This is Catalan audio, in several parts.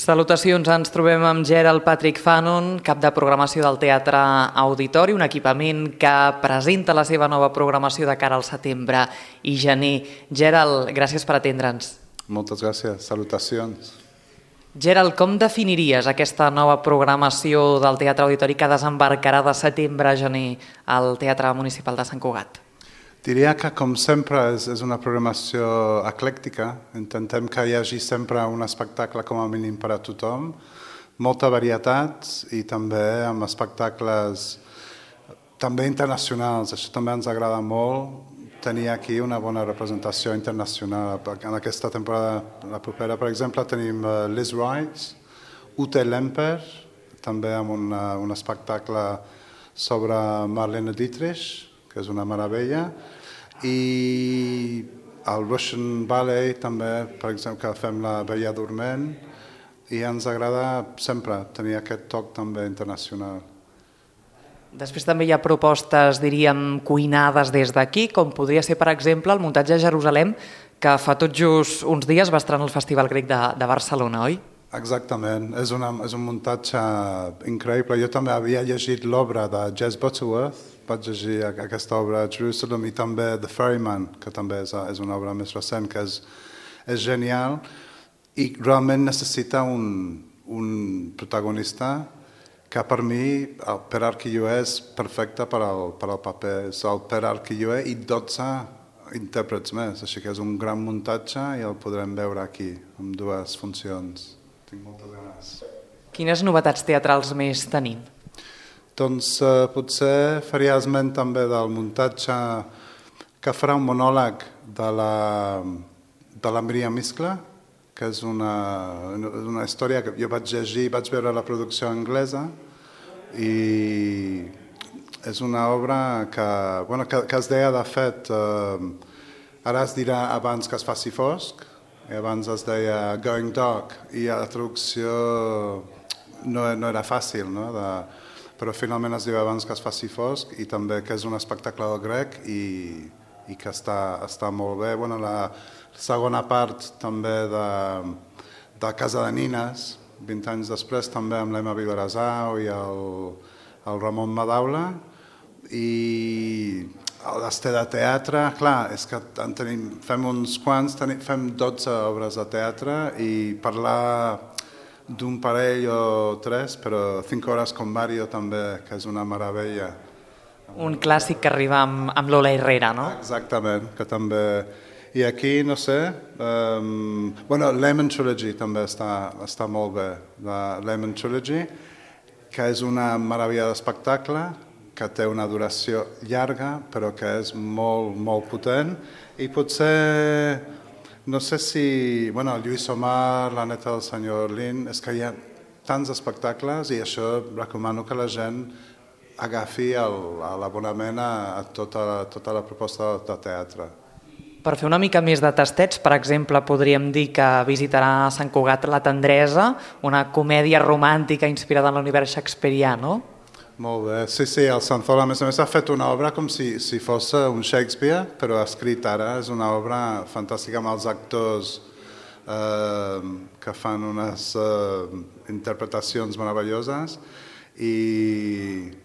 Salutacions, ens trobem amb Gerald Patrick Fanon, cap de programació del Teatre Auditori, un equipament que presenta la seva nova programació de cara al setembre i gener. Gerald, gràcies per atendre'ns. Moltes gràcies, salutacions. Gerald, com definiries aquesta nova programació del Teatre Auditori que desembarcarà de setembre a gener al Teatre Municipal de Sant Cugat? Diria que, com sempre, és una programació eclèctica. Intentem que hi hagi sempre un espectacle com a mínim per a tothom, molta varietat i també amb espectacles també internacionals. Això també ens agrada molt, tenir aquí una bona representació internacional. En aquesta temporada, la propera, per exemple, tenim Liz Wright, Ute Lemper, també amb un espectacle sobre Marlene Dietrich, que és una meravella, i el Russian Ballet també, per exemple, que fem la Bella Dorment, i ens agrada sempre tenir aquest toc també internacional. Després també hi ha propostes, diríem, cuinades des d'aquí, com podria ser, per exemple, el muntatge a Jerusalem, que fa tot just uns dies va estrenar al Festival Grec de Barcelona, oi? Exactament, és un muntatge increïble. Jo també havia llegit l'obra de Jess Butterworth, vaig llegir aquesta obra a Jerusalem, i també The Ferryman, que també és una obra més recent, que és genial, i realment necessita un protagonista que per mi, el Pere Arquilloé, és perfecte per al paper. És el Pere Arquilloé i 12 intèrprets més, així que és un gran muntatge i el podrem veure aquí, amb 2 funcions. Tinc moltes ganes. Quines novetats teatrals més tenim? Doncs potser faria esment també del muntatge que farà un monòleg de la Míriam Iscla, que és una història que jo vaig llegir, vaig veure la producció anglesa, i és una obra que es deia, de fet, ara es dirà abans que es faci fosc, i abans es deia Going Dark, i la traducció no era fàcil, no? Però finalment es diu abans que es faci fosc, i també que és un espectacle del grec i que està molt bé. La segona part també de Casa de Nines, 20 anys després, també amb l'Emma Vilarazau i el Ramon Madaula, i l'Esté de Teatre. Clar, és que fem uns quants, fem 12 obres de teatre, i parlar d'un parell o 3, però 5 hores con Mario també, que és una meravella. Un clàssic que arriba amb Lola Herrera, no? Exactament, que també... I aquí, no sé, Lemon Trilogy també està molt bé. La Lemon Trilogy, que és una meravella d'espectacle, que té una duració llarga, però que és molt, molt potent, i potser... No sé si... Lluís Omar, la neta del senyor Lin, és que hi ha tants espectacles, i això recomano que la gent agafi l'abonament a tota la proposta de teatre. Per fer una mica més de tastets, per exemple, podríem dir que visitarà a Sant Cugat La Tendresa, una comèdia romàntica inspirada en l'univers shakespearià, no? Molt bé. Sí, el Sanzol, a més ha fet una obra com si fos un Shakespeare, però escrit ara. És una obra fantàstica amb els actors que fan unes interpretacions meravelloses. I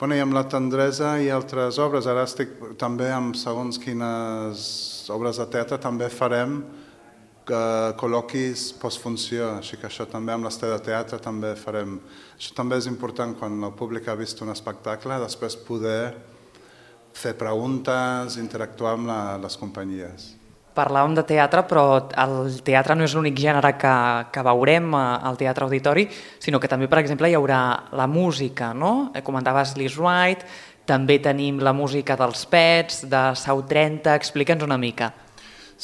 amb La Tendresa i altres obres. Ara estic també amb segons quines obres de teatre, també farem col·loquis postfunció, així que això també amb l'Esté de Teatre també farem. Això també és important quan el públic ha vist un espectacle, després poder fer preguntes, interactuar amb les companyies. Parlàvem de teatre, però el teatre no és l'únic gènere que veurem al Teatre Auditori, sinó que també, per exemple, hi haurà la música, no? Comentaves Liz Wright, també tenim la música dels Pets, de Sau 30, explica'ns una mica.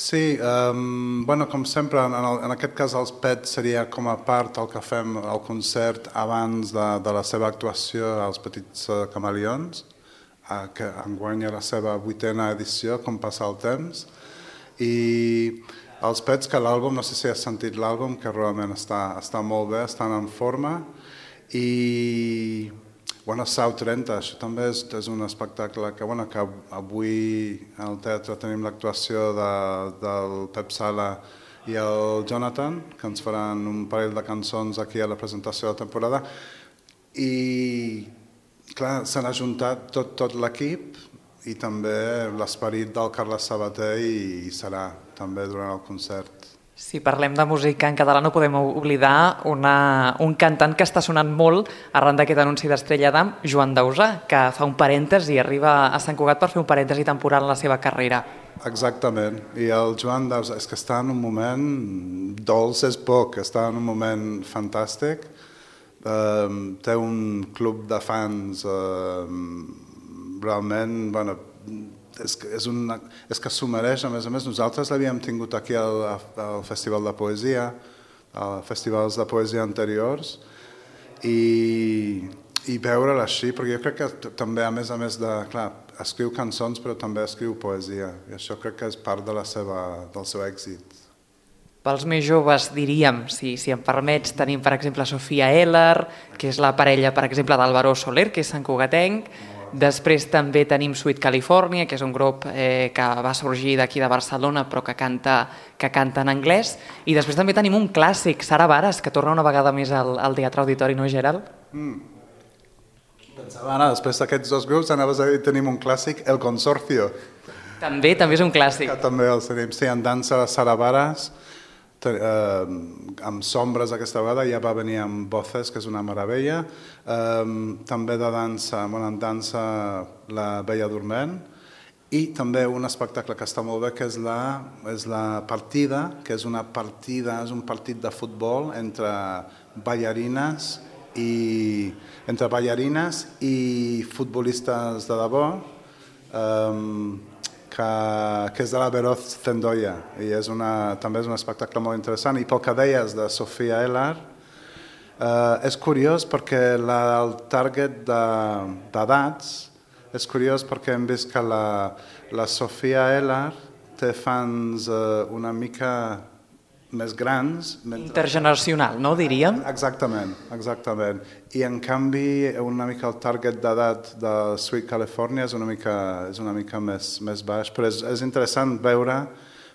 Sí, com sempre, en aquest cas els Pets seria com a part el que fem al concert abans de la seva actuació als Petits Camaleons, que enguany la seva 8a edició, com passa el temps, i els Pets, que l'àlbum, no sé si has sentit l'àlbum, que realment està molt bé, estan en forma, i Sau 30, això també és un espectacle que avui al teatre tenim l'actuació del Pep Sala i el Jonathan, que ens faran un parell de cançons aquí a la presentació de la temporada. I, clar, s'han ajuntat tot l'equip i també l'esperit del Carles Sabater hi serà també durant el concert. Si parlem de música en català no podem oblidar un cantant que està sonant molt arran d'aquest anunci d'Estrella d'Am, Joan Dausà, que fa un parèntesi i arriba a Sant Cugat per fer un parèntesi temporal en la seva carrera. Exactament, i el Joan Dausà és que està en un moment, dolç és poc, està en un moment fantàstic, té un club de fans realment, bueno, és que s'ho mereix. A més, nosaltres l'havíem tingut aquí al Festival de Poesia, als festivals de poesia anteriors, i veure'l així, perquè jo crec que també, a més de, clar, escriu cançons, però també escriu poesia, i això crec que és part del seu èxit. Pels més joves diríem, si em permets, tenim per exemple Sofia Eller, que és la parella, per exemple, d'Álvaro Soler, que és santcugatenc. Després també tenim Sweet California, que és un grup que va sorgir d'aquí de Barcelona però que canta en anglès. I després també tenim un clàssic, Sara Baras, que torna una vegada més al Teatre Auditori, no, Gerald? Pensava, Anna, després d'aquests dos grups anaves a dir tenim un clàssic, El Consorcio. També és un clàssic. Que també els tenim, sí, en dansa Sara Baras, amb sombres aquesta vegada, ja va venir amb Voces, que és una meravella, també de dansa, en dansa La Bella Dorment, i també un espectacle que està molt bé, que és la Partida, que és un partit de futbol entre ballarines i futbolistes de debò, que és de la Veroz Zendoya, i també és un espectacle molt interessant. I pel que deies de Sofia Eller, és curiós perquè el target d'edats és curiós perquè hem vist que la Sofia Eller té fans una mica més grans. Intergeneracional, no, diríem? Exactament. I en canvi una mica el target d'edat de Sweet California és una mica més baix, però és interessant veure,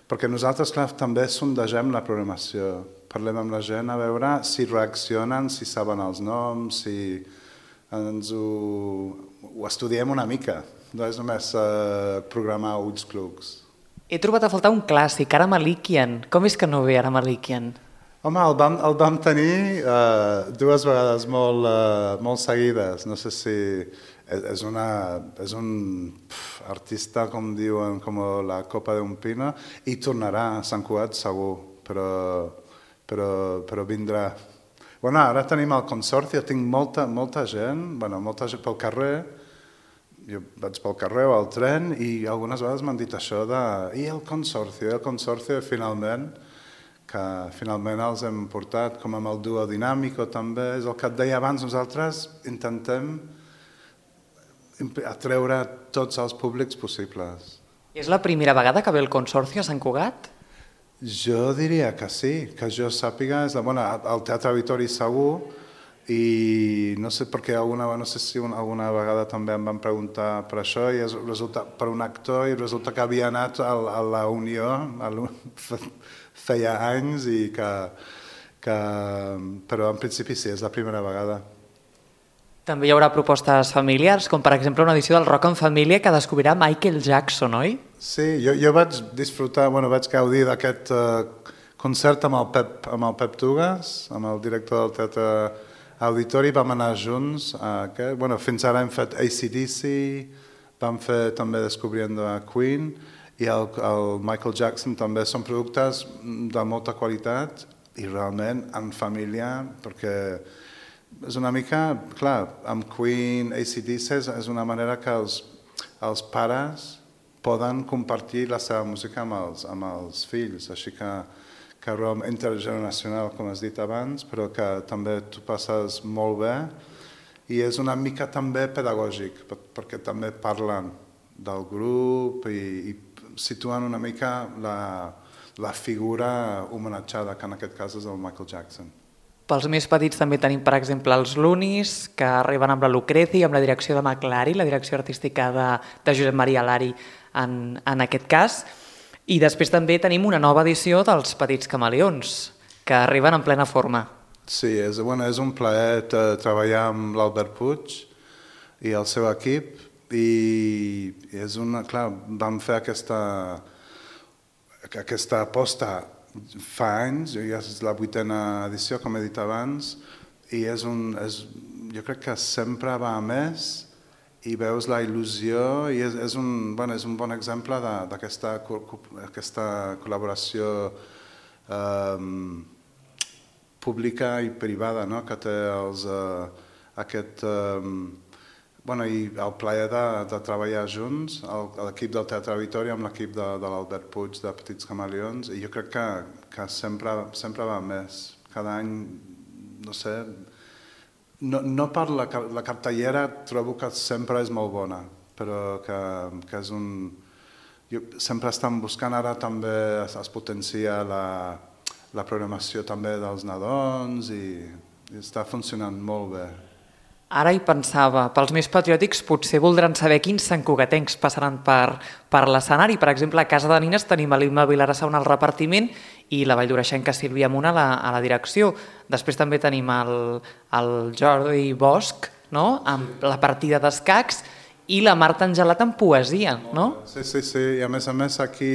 perquè nosaltres, clar, també sondegem la programació, parlem amb la gent a veure si reaccionen, si saben els noms, si ho estudiem una mica, no és només programar ulls clucs. He trobat a faltar un clàssic, Ara Malikian. Com és que no ve Ara Malikian? Home, el vam tenir dues vegades molt seguides. No sé si és un artista, com diuen, com la copa d'un pino, i tornarà a Sant Cugat segur, però vindrà. Bueno, ara tenim el Consorcio, tinc molta gent pel carrer. Jo vaig pel carrer o al tren i algunes vegades m'han dit això i el Consorcio finalment els hem portat, com amb el duo Dinàmico també, és el que et deia abans, nosaltres intentem atreure tots els públics possibles. És la primera vegada que ve el Consorcio a Sant Cugat? Jo diria que sí, que jo sàpiga, al Teatre Auditori segur, i no sé perquè no sé si alguna vegada també em van preguntar per això i resulta per un actor i resulta que havia anat a la Unió feia anys i però en principi sí, és la primera vegada. També hi haurà propostes familiars, com per exemple una edició del Rock en Família que descobrirà Michael Jackson, oi? Sí, jo vaig disfrutar, vaig gaudir d'aquest concert amb el Pep Tugas, amb el director del Teatre Auditori, vam anar junts. Fins ara hem fet AC/DC, vam fer també Descubriendo a Queen, i el Michael Jackson també. Són productes de molta qualitat i realment en família, perquè és una mica, clar, amb Queen, AC/DC és una manera que els pares poden compartir la seva música amb els fills, així que intergeneracional, com has dit abans, però que també tu passes molt bé i és una mica també pedagògic, perquè també parlen del grup i situen una mica la figura homenatjada, que en aquest cas és el Michael Jackson. Pels més petits també tenim, per exemple, els Lunis, que arriben amb la Lucrezi, amb la direcció de McLari, la direcció artística de Josep Maria Lari en aquest cas. I després també tenim una nova edició dels Petits Camaleons, que arriben en plena forma. Sí, és un plaer treballar amb l'Albert Puig i el seu equip i clar, vam fer aquesta aposta fa anys, ja és la 8a edició, com he dit abans, i jo crec que sempre va a més i veus la il·lusió i és un bon exemple d'aquesta col·laboració pública i privada, no? Que té i el plaer de treballar junts, l'equip del Teatre Auditori amb l'equip de l'Albert Puig de Petits Camaleons, i jo crec que sempre va més. Cada any, no sé, no per la cartellera trobo que sempre és molt bona, però que és sempre estan buscant, ara també es potencia la programació també dels nadons i està funcionant molt bé. Ara hi pensava, pels més patriòtics potser voldran saber quins santcugatencs passaran per l'escenari. Per exemple, a Casa de Nines tenim l'Imma Vilarassauna al repartiment i la valldoreixenca Sílvia Munt a la direcció. Després també tenim el Jordi Bosch, no? Amb la partida d'escacs, i la Marta Angelat en poesia, no? Sí, i a més aquí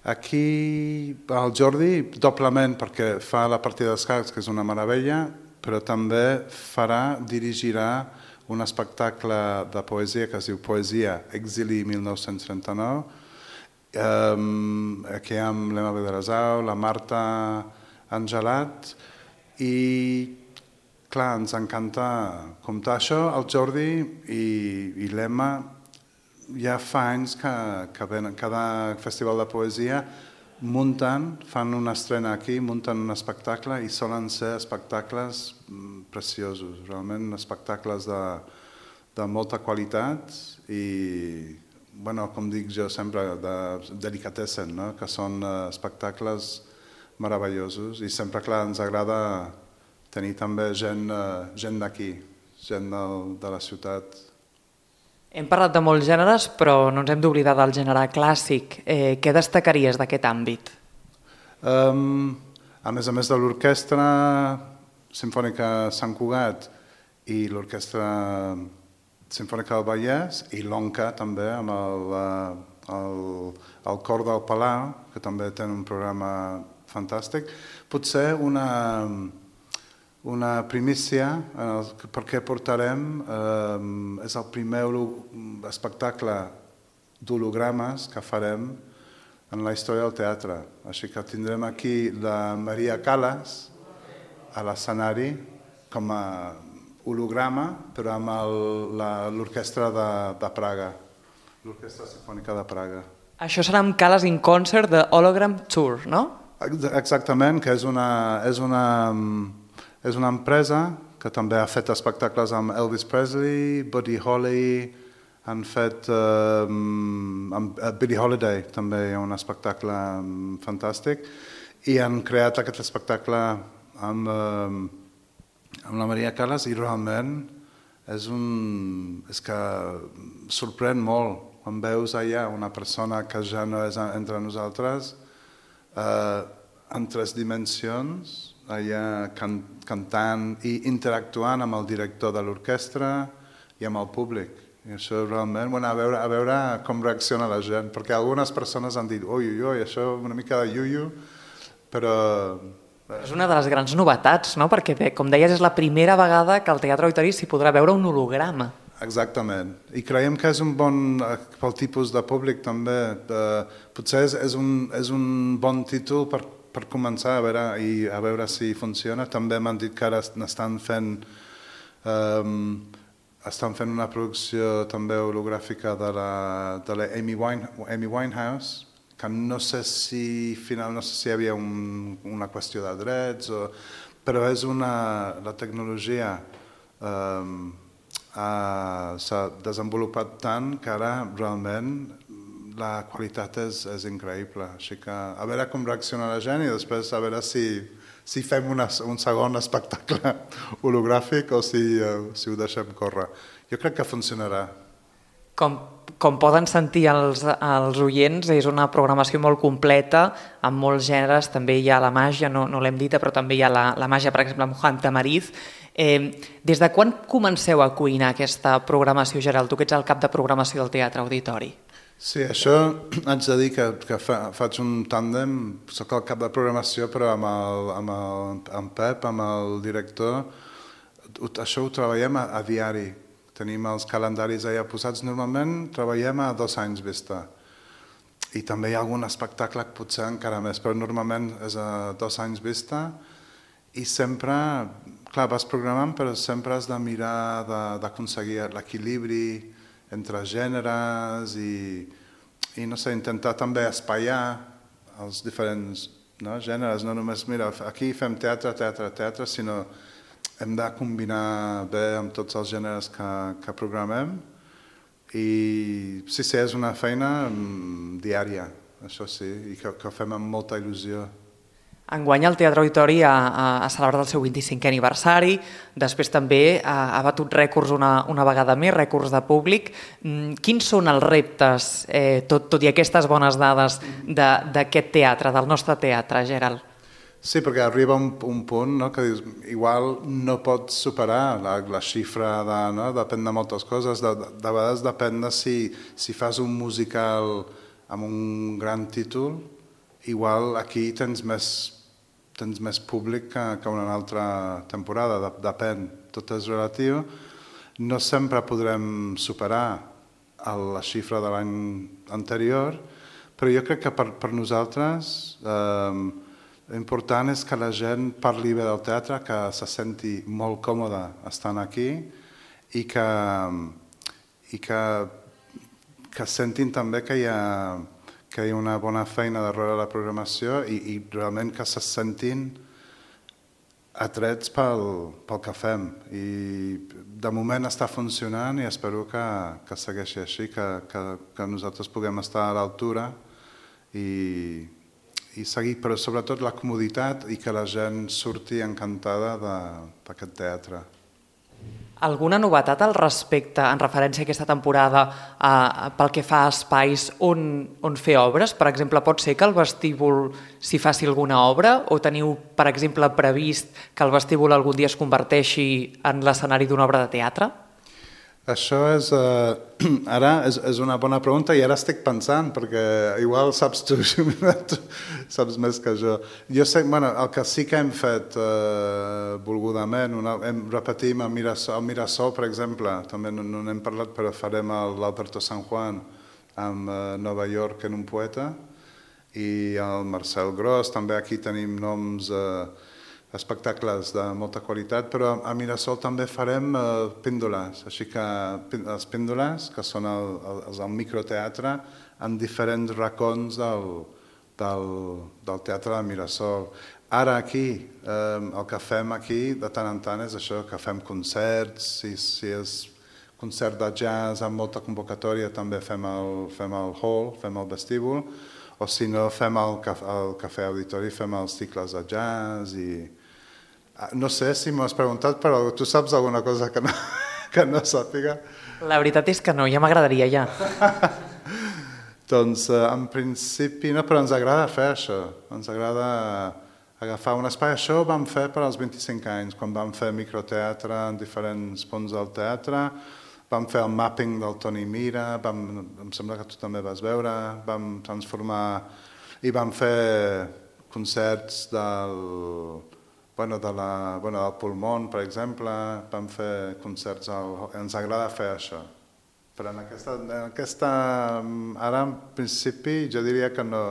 el Jordi doblement, perquè fa la partida d'escacs, que és una meravella, però també dirigirà un espectacle de poesia que es diu Poesia, Exili 1939, aquí amb l'Emma Vilarasau, la Marta Angelat, i clar, ens encanta comptar això. El Jordi i l'Emma ja fa anys que venen cada festival de poesia, fan una estrena aquí, munten un espectacle i solen ser espectacles preciosos, realment espectacles de molta qualitat i, com dic jo sempre, de delicatessen, no? Que són espectacles meravellosos i sempre, clar, ens agrada tenir també gent d'aquí, gent de la ciutat. Hem parlat de molts gèneres, però no ens hem d'oblidar del gènere clàssic. Què destacaries d'aquest àmbit? A més de l'Orquestra Simfònica Sant Cugat i l'Orquestra Simfònica del Vallès i l'ONCA també, amb el Cor del Palau, que també té un programa fantàstic, potser una primícia, perquè portarem, és el primer espectacle d'hologrames que farem en la història del teatre. Així que tindrem aquí la Maria Callas a l'escenari com a holograma, però amb l'orquestra de Praga, l'Orquestra Simfònica de Praga. Això serà amb Callas in Concert de Hologram Tour, no? Exactament, que és una empresa que també ha fet espectacles amb Elvis Presley, Buddy Holly, han fet Billie Holiday, també hi ha un espectacle fantàstic, i han creat aquest espectacle amb la Maria Callas i realment és que sorprèn molt quan veus allà una persona que ja no és entre nosaltres en 3 dimensions, allà cantant i interactuant amb el director de l'orquestra i amb el públic. I això realment, a veure com reacciona la gent, perquè algunes persones han dit ui, això una mica de iuiu, però... És una de les grans novetats, no? Perquè, com deies, és la primera vegada que al Teatre Auditori s'hi podrà veure un holograma. Exactament. I creiem que és un bon, pel tipus de públic també, potser és un bon títol per començar a veure si funciona. També m'han dit que ara estan fent una producció també hologràfica de la Amy Winehouse, que no sé si hi havia una qüestió de drets, però la tecnologia s'ha desenvolupat tant que ara realment la qualitat és increïble. Així que a veure com reacciona la gent i després a veure si fem un segon espectacle hologràfic o si ho deixem córrer. Jo crec que funcionarà. Com poden sentir els oients, és una programació molt completa, amb molts gèneres, també hi ha la màgia, no l'hem dita, però també hi ha la màgia, per exemple, amb Juan Tamariz. Des de quan comenceu a cuinar aquesta programació, Gerald? Tu que ets el cap de programació del Teatre Auditori. Sí, això haig de dir que faig un tàndem, soc el cap de programació, però amb Pep, amb el director, això ho treballem a diari. Tenim els calendaris allà posats. Normalment treballem a 2 anys vista. I també hi ha algun espectacle que potser encara més, però normalment és a 2 anys vista. I sempre, clar, vas programant, però sempre has de mirar d'aconseguir l'equilibri entre gèneres i no sé, intentar també espaiar els diferents gèneres. No només, mira, aquí fem teatre, sinó hem de combinar bé amb tots els gèneres que programem i sí, és una feina diària, això sí, i que fem amb molta il·lusió. Enguany el Teatre Auditori ha celebrat el seu 25è aniversari, després també ha batut rècords una vegada més, rècords de públic. Quins són els reptes, tot i aquestes bones dades, d'aquest teatre, del nostre teatre, Gerald? Sí, perquè arriba un punt que dius, igual no pots superar la xifra, depèn de moltes coses, de vegades depèn de si fas un musical amb un gran títol, igual aquí tens més públic que una altra temporada, depèn, tot és relatiu. No sempre podrem superar la xifra de l'any anterior, però jo crec que per nosaltres l'important és que la gent parli bé del teatre, que se senti molt còmode estant aquí i que sentin també que hi ha una bona feina darrere la programació i realment que se sentin atrets pel que fem. I de moment està funcionant i espero que segueixi així, que nosaltres puguem estar a l'altura i seguir, però sobretot la comoditat i que la gent surti encantada d'aquest teatre. Alguna novetat al respecte, en referència a aquesta temporada, pel que fa a espais on fer obres? Per exemple, pot ser que al vestíbul s'hi faci alguna obra o teniu, per exemple, previst que el vestíbul algun dia es converteixi en l'escenari d'una obra de teatre? Això ara és una bona pregunta i ara estic pensant, perquè igual saps tu, saps més que jo. Jo sé, el que sí que hem fet volgudament, repetim al Mirasol, per exemple, també no n'hem parlat, però farem l'Alberto San Juan amb Nova York en un poeta i el Marcel Gros, també aquí tenim noms espectacles de molta qualitat, però a Mirasol també farem píndoles, així que els píndoles, que són els del microteatre, en diferents racons del teatre de Mirasol. Ara aquí, el que fem aquí de tant en tant és això, que fem concerts, si és concert de jazz amb molta convocatòria també fem el hall, fem el vestíbul, o si no fem el cafè auditori, fem els cicles de jazz i... No sé si m'ho has preguntat, però tu saps alguna cosa que no sàpiga? La veritat és que no, ja m'agradaria ja. Doncs en principi no, però ens agrada fer això, ens agrada agafar un espai. Això ho vam fer per als 25 anys, quan vam fer microteatre en diferents punts del teatre, vam fer el mapping del Toni Mira, em sembla que tu també vas veure, vam transformar i vam fer concerts del Pulmón, per exemple, vam fer concerts, ens agrada fer això. Però en aquesta, ara en principi jo diria que no...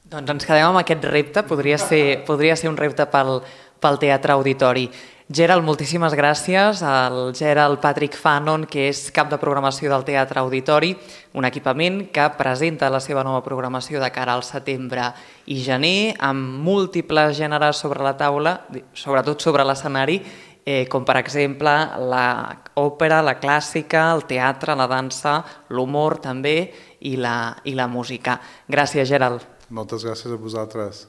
Doncs ens quedem amb aquest repte, podria ser un repte pel Teatre Auditori. Gerald, moltíssimes gràcies. El Gerald Patrick Fanon, que és cap de programació del Teatre Auditori, un equipament que presenta la seva nova programació de cara al setembre i gener, amb múltiples gèneres sobre la taula, sobretot sobre l'escenari, com per exemple l'òpera, la clàssica, el teatre, la dansa, l'humor també i la música. Gràcies, Gerald. Moltes gràcies a vosaltres.